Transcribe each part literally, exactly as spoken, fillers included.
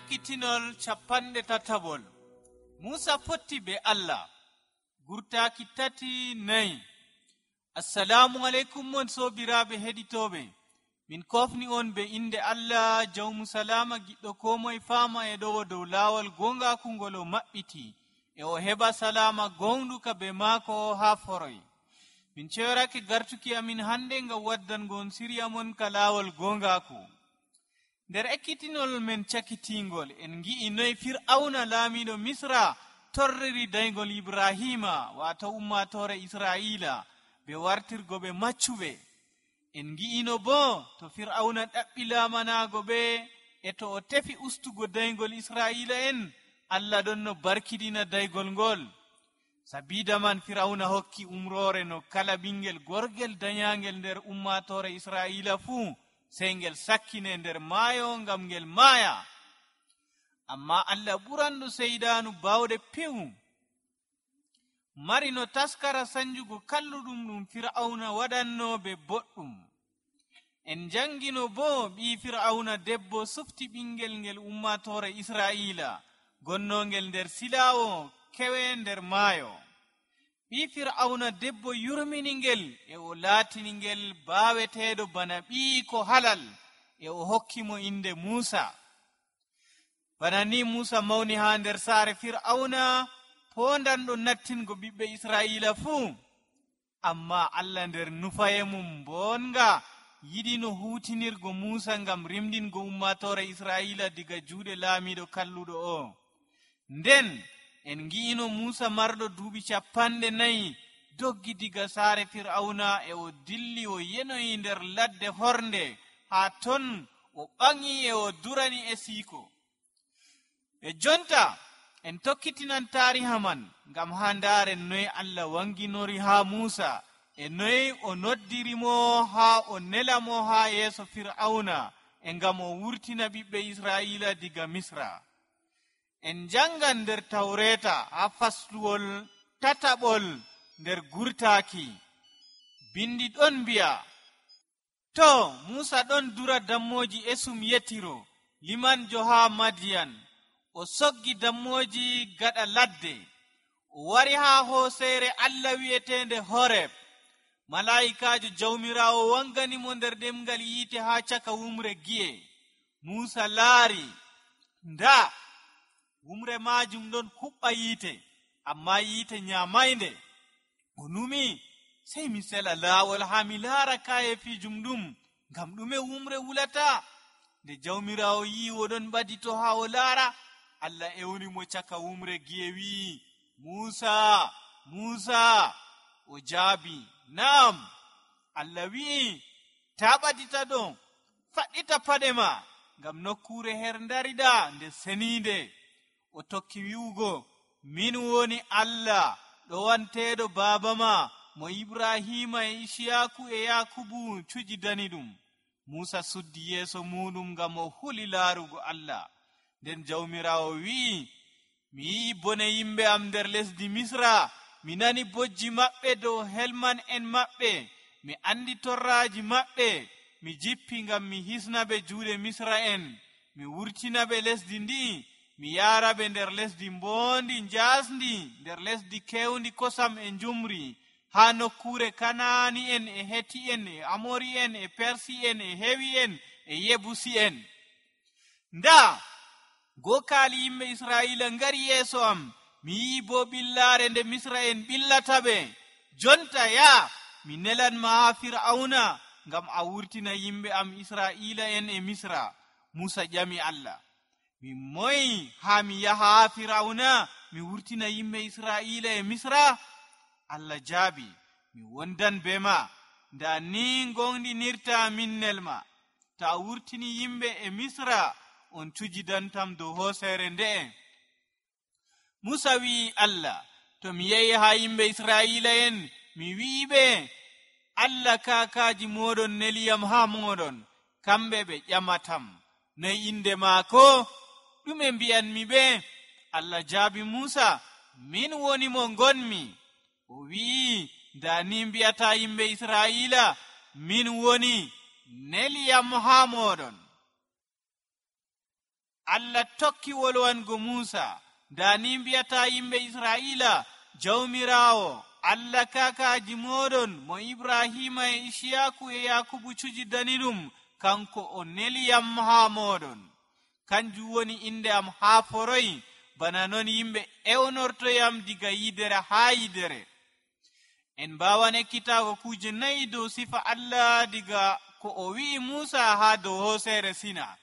ekkitinol capanɗe tatabol. Musa fotti be Allah. Gurtaaki tati nayi. Assalamu alaikum mon sobiraaɓe heɗitooɓe. Min kofni on be inde Allah jawmu salama giɗɗo ko moye faama e ɗowo dow laawol gongaku ngol o maɓɓiti e o heɓa salama gonɗuka be maako haa foroy. Min ceyorake gartuki amin hande ngam waddango on siriya mon ka laawol gongaku. Nder ekkitinol men cakitingol en gi'i noy Fir'auna laamiɗo Misra torriri daygol Ibrahima wato ummatore Israila be wartirgo ɓe maccuɓe. En gi'ino bo to Fir'auna ɗaɓɓi laamanago ɓe e to o tefi ustugo daygol Israila en, Allah ɗon no barkidina daygol ngol. Sabida man Fir'auna hokki umrore no kala ɓingel gorgel danyangel nder ummatore Israila fuu sey ngel sakkine nder maayo ngam ngel maaya. Amma Allah ɓuranɗo seydanu bawɗe pewu mari no taskara sanjugo kalluɗum ɗum Fir'auna waɗanno be boɗɗum. En jangino bo ɓi Fir'auna debbo sufti ɓingel ngel ummatore Israila gonnongel nder silawo kewe nder maayo. Ɓi Fir'auna debbo yurminingel e o laatiningel baaweteeɗo bana ɓi ko halal e o hokkimo inde Musa. Bana ni Musa mawni haa nder saare Fir'auna pondanɗo nattingo ɓiɓɓe Israila fuu. Amma Allah nder nufaye mum bonga yiɗi no hutinirgo Musa ngam rimdingo ummatore Israila diga juuɗe laamiɗo kalluɗo o. Nden en gi'ino Musa marɗo duuɓi capanɗe nayi doggi diga saare Fir'auna e o dilli o yenoyi nder ladde hornde haa ton o ɓangi e o durani e siiko. E jonta en tokkitinan tariha man ngam haa ndaaren noy Allah wanginori haa Musa e noy o noddirimo haa o nelamo haa yeeso Fir'auna e ngam o wurtina ɓiɓɓe Israila diga Misra. En jangan nder Tawreta haa fasluwol tataɓol nder gurtaaki. Bindi ɗon mbi'a, to Musa ɗon dura dammoji esum yetiro limanjo haa Madiyan. O soggi dammoji gaɗa ladde. O wari haa hooseere Allah wi'etende Horeb. Malaa'ikaajo jawmirawo wanganimo nder ɗemgal yiite haa caka wumre gi'e. Musa laari, nda wumre majum ɗon huɓɓa yiite, amma yiite nyamaynde. O numi, sey mi sela laawol haa mi laara kayefijum ɗum, ngam ɗume wumre wulata? Nde jawmirawo yi oɗon ɓadito haa o laara, Allah ewnimo caka wumre gi'e wi'i, Musa, Musa. O jaabi, Naam. Allah wi'i, ta ɓadita ɗo, faɗɗita paɗe ma, ngam nokkure her ndariɗa nde seninde. O tokki wi'ugo, min woni Allah ɗowanteɗo baaba ma mo Ibrahima e Ishiyaku e Yakubu cujidani ɗum. Musa suddi yeeso muɗum ngam o huli laarugo Allah. Nden jawmirawo wi'i, mi yi'i bone yimɓe am nder lesdi Misra, mi nani bojji maɓɓe dow helman en maɓɓe, mi andi torraji maɓɓe, mi jippi ngam mi hisnaɓe juuɗe Misra en, mi wurtinaɓe lesdi ndi, mi yaaraɓe nder lesdi mboondi njaasndi, nder lesdi kewndi kosam e njumri, haa nokkure Kanaani en e Heti en e Amori en e Persi en e Hewi en e Yebusi en. Nda gookaali yimɓe Israila ngari yeeso am, mi yi'i bo ɓillaare nde Misra en ɓillata ɓe. Jonta yaa, mi nelanma haa Fir'auna ngam a wurtina yimɓe am Israila en e Misra. Musa ƴami Allah, mi moyi haa mi yaha haa Fir'auna mi wurtina yimɓe Israila e Misra? Allah jaabi, mi wondan be ma, nda ni gonɗinirta minnel ma. Ta a wurtini yimɓe e Misra, on cujidantam dow hooseere nde'e. Musa wi'i Allah, to mi yehi haa yimɓe Israila en, mi wi'iɓe, Allah kaakaaji moɗon neliyam haa moɗon, kamɓe ɓe ƴamatam. Noy inde maako? Ɗume mbi'anmi ɓe? Allah jaabi Musa, min woni mo ngonmi. O wi'i, nda ni mbi'ata yimɓe Israila, min woni neliyam haa moɗon. Allah tokki wolwango Musa, dani mbiyata yimɓe Israila, jawmirawo Allah kakaji moɗon mo Ibrahima e Ishiyaku e Yakubu cujidani ɗum, kanko o neliyam ha moɗon. Kanjum woni inde am ha foroy, bana non yimɓe ewnortoyam diga yidere ha yidere. En mbawan ekkitago kuje nayi dow sifa Allah diga ko o wi'i Musa ha dow hosere Sina.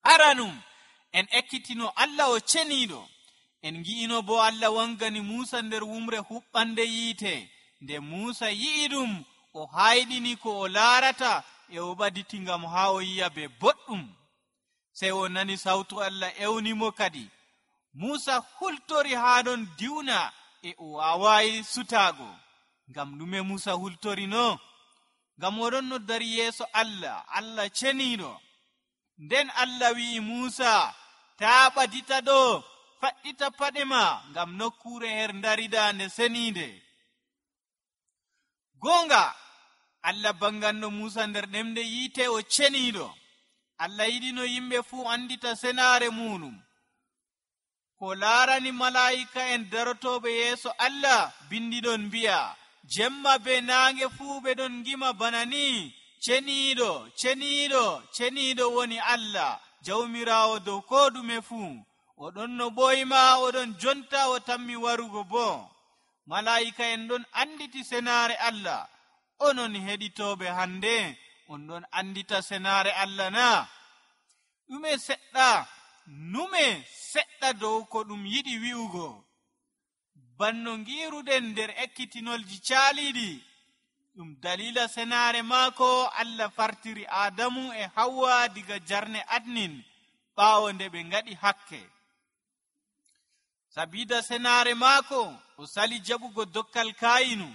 Aranum en ekkitino Allah o ceniɗo. En gi'ino bo Allah wangani Musa nder wumre huɓɓande yiite. Nde Musa yi'i ɗum, o hayɗini ko o laarata e o ɓaditi ngam ha o yi'a be boɗɗum. Sey o nani sawtu Allah ewnimo kadi. Musa hultori ha ɗon diwna e o wawayi sutago. Ngam ɗume Musa hultori no? Ngam oɗon no dari yeeso Allah, Allah ceniɗo. Nden Allah wi'i Musa, ta ɓadita ɗo, faɗɗita paɗe ma, ngam nokkure her darida nde senide. Gonga, Allah banganno Musa nder ɗemde yiite o ceniɗo. Allah yiɗino yimɓe fuu andita senare muɗum. Ko laarani malaa'ika en darotoɓe yeeso Allah, bindiɗon mbi'a, jemma be naange fuu ɓe ɗon gima bana ni, ceniɗo, ceniɗo, ceniɗo woni Allah, jawmirawo dow ko ɗume fuu. Oɗon no ɓoyma, oɗon jonta o tammi warugo bo. Malaa'ika en ɗon anditi senare Allah. Onon heɗitoɓe hande, on ɗon andita senare Allah na? Ɗume seɗɗa, nume seɗɗa dow ko ɗum yiɗi wi'ugo. Banno ngiruɗen nder ekkitinolji caaliɗi, ɗum dalila senare maako Allah fartiri Adamu e Hawwa diga jarne adnin, ɓaawo nde ɓe ngaɗi hakke. Sabida senare maako o sali jaɓugo dokkal Kayinu.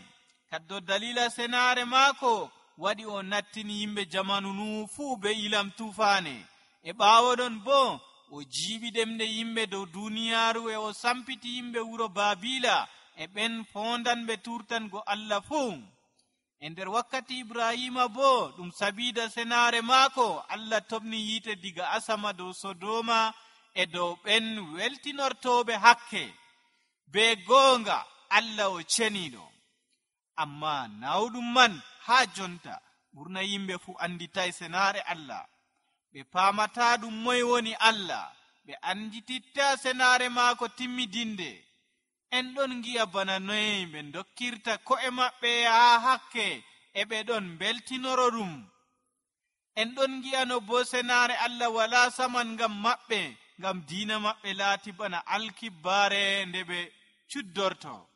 Kaddo dalila senare maako waɗi o nattini yimɓe jamanu nu fuu be ilam tufane. E ɓaawo ɗon bo o jiiɓi ɗemɗe yimɓe dow duniyaaru e o sampiti yimɓe wuro Babila e ɓen fondanɓe turtango Allah fuu. E nder wakkati Ibrahima bo ɗum sabida senare maako Allah tobni yiite diga asama dow Sodoma e dow ɓen weltinortoɓe hakke. Be goonga Allah o ceniɗo. Amma nawɗum man ha jonta ɓurna yimɓe fu anditay senare Allah. Ɓe paamata ɗum moy woni Allah. Ɓe andititta senare maako timmidinde. En ɗon gi'a bana noye ɓe dokkirta ko'e maɓɓe ha hakke e ɓe ɗon beltinoro ɗum. En ɗon gi'ano bo senare Allah wala saman ngam maɓɓe, ngam diina maɓɓe laati bana alkibbare nde ɓe cuddorto.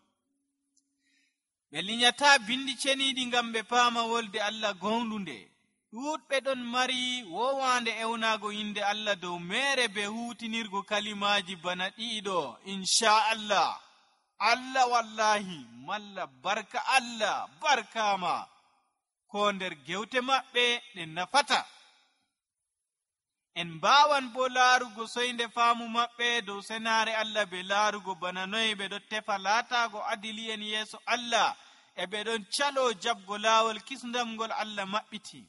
Ɓe linyata bindi ceniɗi ngam ɓe paama wolde Allah gonɗunde. Ɗuuɗɓe ɗon mari wowande ewnago inde Allah dow mere be hutinirgo kalimaji bana ɗiɗo, insha Allah. Allah wallahi, malla barka Allah, barkama, ko nder gewte maɓɓe ɗe nafata. En mbawan bo laarugo soynde faamu maɓɓe dow senare Allah be laarugo bana noye ɓe ɗo tefa laatago adili en yeeso Allah e ɓe ɗon calo jabgo laawol kisndam ngol Allah maɓɓiti.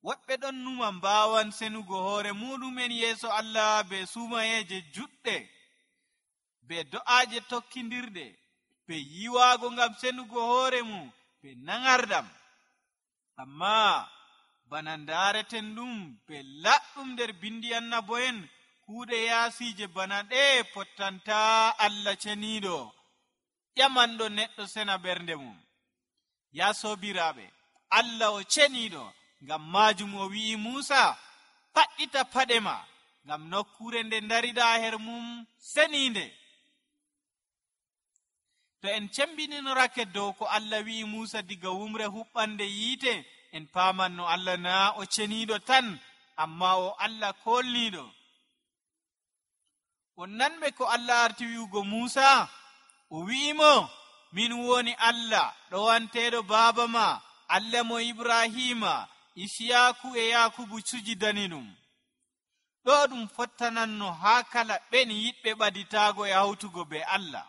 Woɓɓe ɗon numa mbawan senugo hoore muɗumen yeeso Allah be sumayeje juɗɗe, be do'aje tokkindirɗe, be yiwago ngam senugo hoore mum, be nangardam. Amma bana ndareten ɗum be laɗɗum nder bindi annabo'en, kuuɗe yaasije bana ɗe pottanta Allah ceniɗo, ƴamanɗo neɗɗo sena ɓernde mum. Ya sobiraɓe, Allah o ceniɗo. Ngam majum o wi'i Musa, faɗɗita paɗe ma, ngam nokkure nde darida her mum seninde. To en cembininorake dow ko Allah wi'i Musa diga wumre huɓɓande yiite, en paman no Allah na o ceniɗo tan, amma o Allah kolniɗo. On nanɓe ko Allah arti wi'ugo Musa, o wi'imo, min woni Allah ɗowanteɗo baba ma, Allah mo Ibrahima, Ishiyaku e Yakubu cujidani ɗum. Ɗo ɗum fottananno ha kala ɓen yiɗɓe ɓaditago e hawtugo be Allah.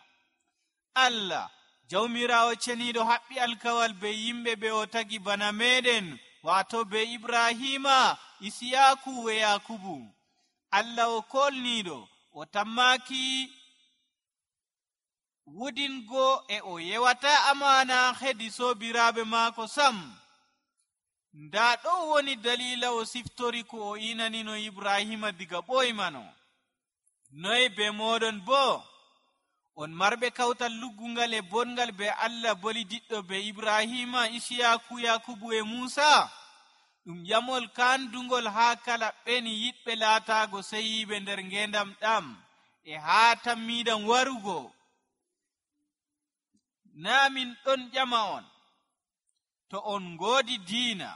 Allah jawmirawo ceniɗo haɓɓi alkawal be yimɓe ɓe o tagi bana meɗen, wato be Ibrahima, Ishiyaku e Yakubu. Allah o kolniiɗo o tammaki wudingo e o yewata amana hedi sobiraaɓe maako sam. nda ɗo woni dalila o siftori ko o inanino ibrahima diga ɓoymano. noy be moɗon bo on marɓe kawtal luggungal e bongal be Allah boli diɗɗo be ibrahima, isiyaku, yakubu e musa? ɗum yamol kandugol haa kala ɓeni yiɗɓe laataago seyiɓe nder ngendam ɗam e haa tammiɗam warugo. naa min ɗon ƴama on, to on ngoodi diina,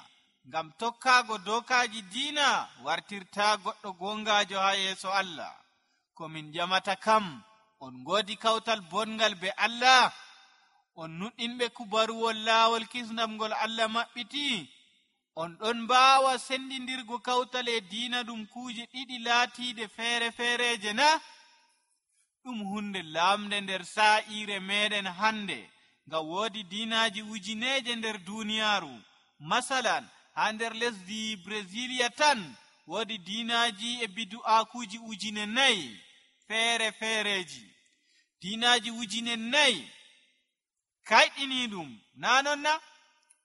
ngam tokkaago dokaji diina wartirta goɗɗo gongajo haa yeeso Allah. ko min ƴamata kam, on ngoodi kawtal bongal be Allah, on nuɗɗinɓe kubaruwol laawol kisnam ngol Allah maɓɓiti, on ɗon mbaawa sendindirgo kawtal e diina ɗum kuuje ɗiɗi laatiide feere feereje na? ɗum hunde lamde nder saa'ire meɗen hande, ngam woodi diinaji ujineje nder duniyaaru. masalan, haa nder lesdi Brasilia tan woodi diinaji e bidu'aakuji ujine nayi feere feereji. diinaji ujine nayi kayɗini ɗum, na non na?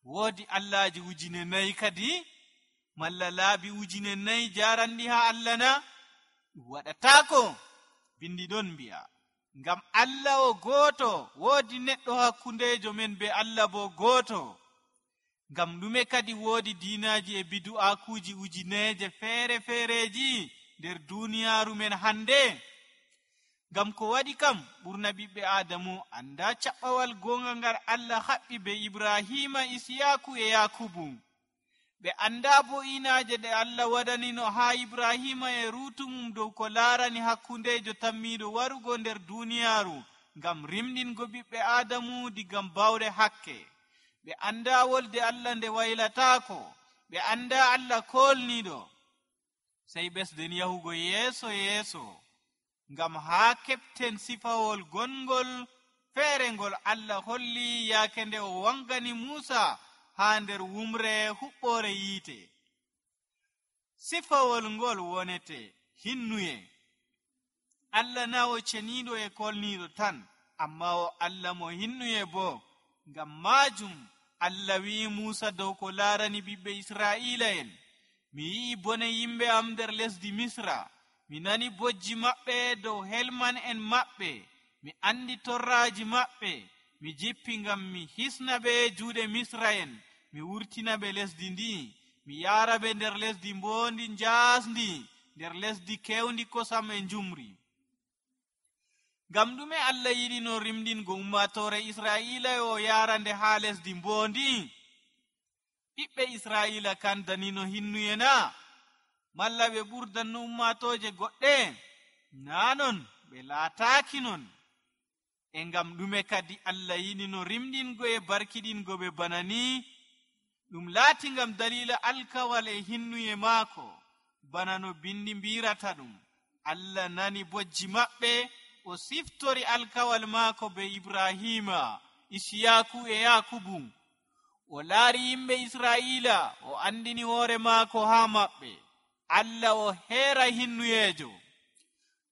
woodi Allahji ujine nayi kadi, malla laabi ujine nayi jarandi haa Allah na? ɗum waɗataako. bindi ɗon mbi'a, ngam Allah o gooto, woodi neɗɗo hakkundejo men be Allah bo gooto. ngam ɗume kadi woodi diinaji e bidu'aakuji ujineje feere feereji nder duniyaaru men hande? ngam ko waɗi kam, ɓurna ɓiɓɓe Adamu anda caɓɓawal gonga ngal Allah haɓɓi be Ibrahima, Isiyaku e Yakubu. ɓe anda bo inaje ɗe Allah waɗanino haa Ibrahima e rutumum dow ko laarani hakkundejo tammiɗo warugo nder duniyaaru, ngam rimɗingo ɓiɓɓe Adamu digam bawɗe hakke. ɓe anda wolde Allah nde waylataako, ɓe anda Allah kolniɗo. sey ɓesden yahugo yeeso yeeso, ngam haa keɓten sifawol gongol feere ngol Allah holli yaake nde o wangani Musa haa nder wumre huɓɓore yiite. sifawol ngol wonete hinnuye. Allah na o ceniiɗo e kolniiɗo tan, amma o Allah mo hinnuye bo. ngam maajum Allah wi'i Musa dow ko laarani ɓiɓɓe Israa'ila'en, mi yi'i bone yimɓe am nder lesdi Misra, mi nani bojji maɓɓe dow helman en maɓɓe, mi andi torraaji maɓɓe, mi jippi ngam mi hisna ɓe juuɗe Misra'en, mi wurtina ɓe lesdi ndi, mi yaara ɓe nder lesdi mboondi njaasndi, nder lesdi kewndi kosam e njumri. ngam ɗume Allah yiɗino rimɗingo ummatore Israa'ila o yaara nde haa lesdi mboondi? ɓiɓɓe Israa'ila kan danino hinnuye na? malla ɓe ɓurdanno ummatoje goɗɗe? naa non, ɓe laataaki non. e ngam ɗume kadi Allah yiɗino rimɗingo e barkiɗingo ɓe bana ni? ɗum laati ngam dalila alkawal e hinnuye maako, bana no bindi mbirata ɗum. Allah nani bojji maɓɓe, o siftori alkawal maako be Ibrahima, Isiyaku e Yakubu. o laari yimɓe Israa'ila, o andini hoore maako haa maɓɓe. Allah o heera hinnuyejo.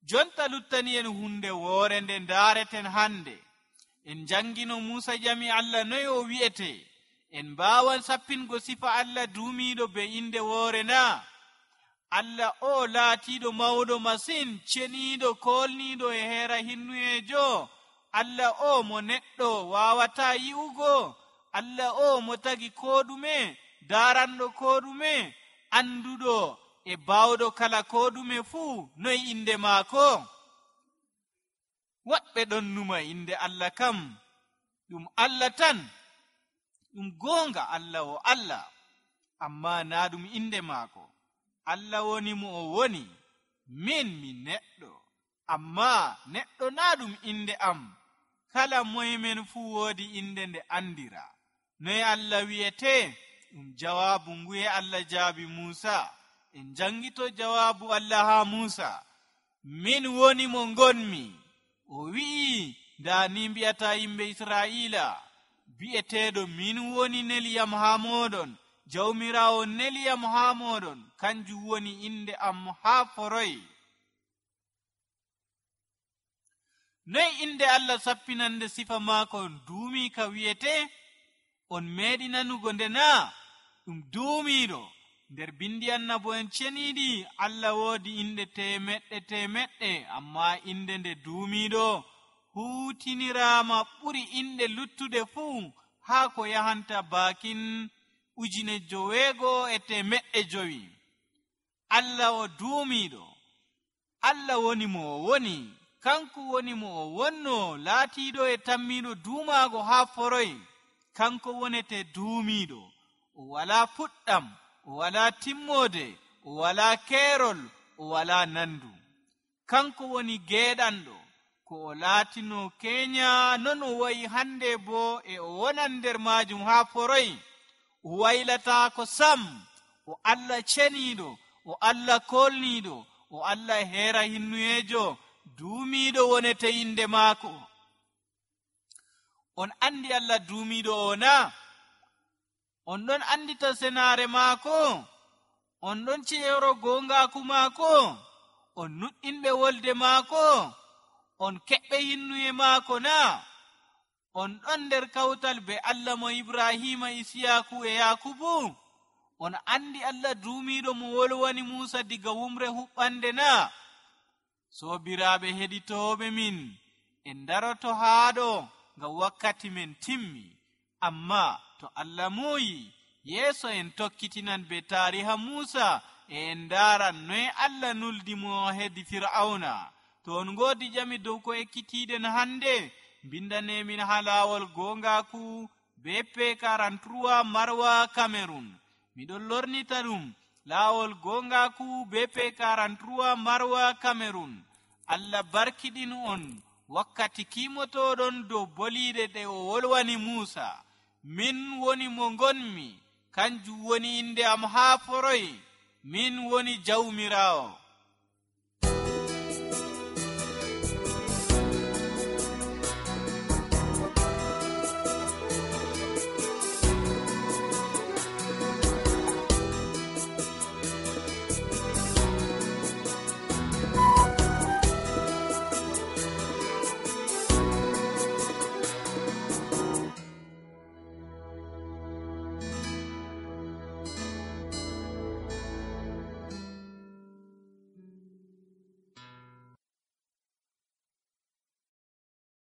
jonta luttani en hunde woore nde ndaareten hande. en jangino Musa jami Allah noy o wi'ete. en mbaawan sappingo sifa Allah duumiiɗo be inde woore na? Allah o laatiiɗo mawɗo masin, ceniiɗo, kolniiɗo e heera hinnuyejo. Allah o mo neɗɗo waawata yi'ugo. Allah o mo tagi ko ɗume, daaranɗo ko ɗume, anduɗo e baawɗo kala ko ɗume fuu. noy inde maako? woɓɓe ɗon numa inde Allah kam ɗum Allah tan. ɗum goonga Allah o Allah, amma na ɗum inde maako. Allah woni mo o woni. min mi neɗɗo, amma neɗɗo na ɗum inde am. kala moymen fuu woodi inde nde andira. noy Allah wi'ete? ɗum jawaabu nguye Allah jaabi Musa. en jangito jawaabu Allah haa Musa. min woni mo ngonmi. o wi'i, nda ni mbi'ata yimɓe Israa'ila, bi'eteeɗo min woni neliyam haa moɗon, jawmiraawo neliyam haa moɗon, kanjum woni inde am haa foroy. noy inde Allah sappinande sifa maako duumi ka wiyete? On meeɗi nanugo nde na ɗum duumiiɗo. nder bindi annabo'en ceniiɗi Allah woodi inde temeɗɗe temeɗɗe, amma inde nde duumiiɗo huutiniraama ɓuri inde luttuɗe fuu haa ko yahanta baakin ujune joweego e temeɗɗe jowi. Allah o duumiiɗo. Allah woni mo o woni, kanko woni mo o wonno, laatiiɗo e tammiiɗo duumaago haa foroy. Kanko wonete duumiiɗo. O walaa fuɗɗam, o walaa timmoode, o walaa keerol, o walaa nandu. Kanko woni geeɗanɗo, ko o laatino keenya non o wayi hande boo e o wonan nder maajum haa foroy. O waylataako sam. O Allah ceniiɗo, o Allah kolniiɗo, o Allah heera hinnuyeejo, duumiiɗo wonete inde maako. On andi Allah duumiiɗo o na? On ɗon andita senaare maako? On ɗon ceero goongaaku maako? On nuɗɗinɓe wolde maako? On keɓɓe hinnuye maako na? On ɗon nder kawtal be Allah mo Ibrahima, Isiyaaku e Yakubu? On andi Allah duumiiɗo mo wolwani Muusa diga wumre huɓɓande na? Soobiraaɓe heɗitooɓe min, en daroto haaɗo ngam wakkati men timmi. Amma to Allah muuyi, yeeso en tokkitinan be taariha Muusa e en ndaaran noye Allah nuldi mo hedi Fir'auna. To on ngoodi jami dow ko ekkitiiɗen hannde, mbindaneemin haa laawol goongaaku be P quarante-trois Marwa Cameroun. Miɗon lornita ɗum laawol goongaaku be P quarante-trois Marwa Cameroun. Allah barkiɗin on wakkati kiimotoɗon dow boliiɗe ɗe o wolwani Muusa. Min woni mo ngonmi, kanjum woni inde am haa foroy. Min woni jawmiraawo.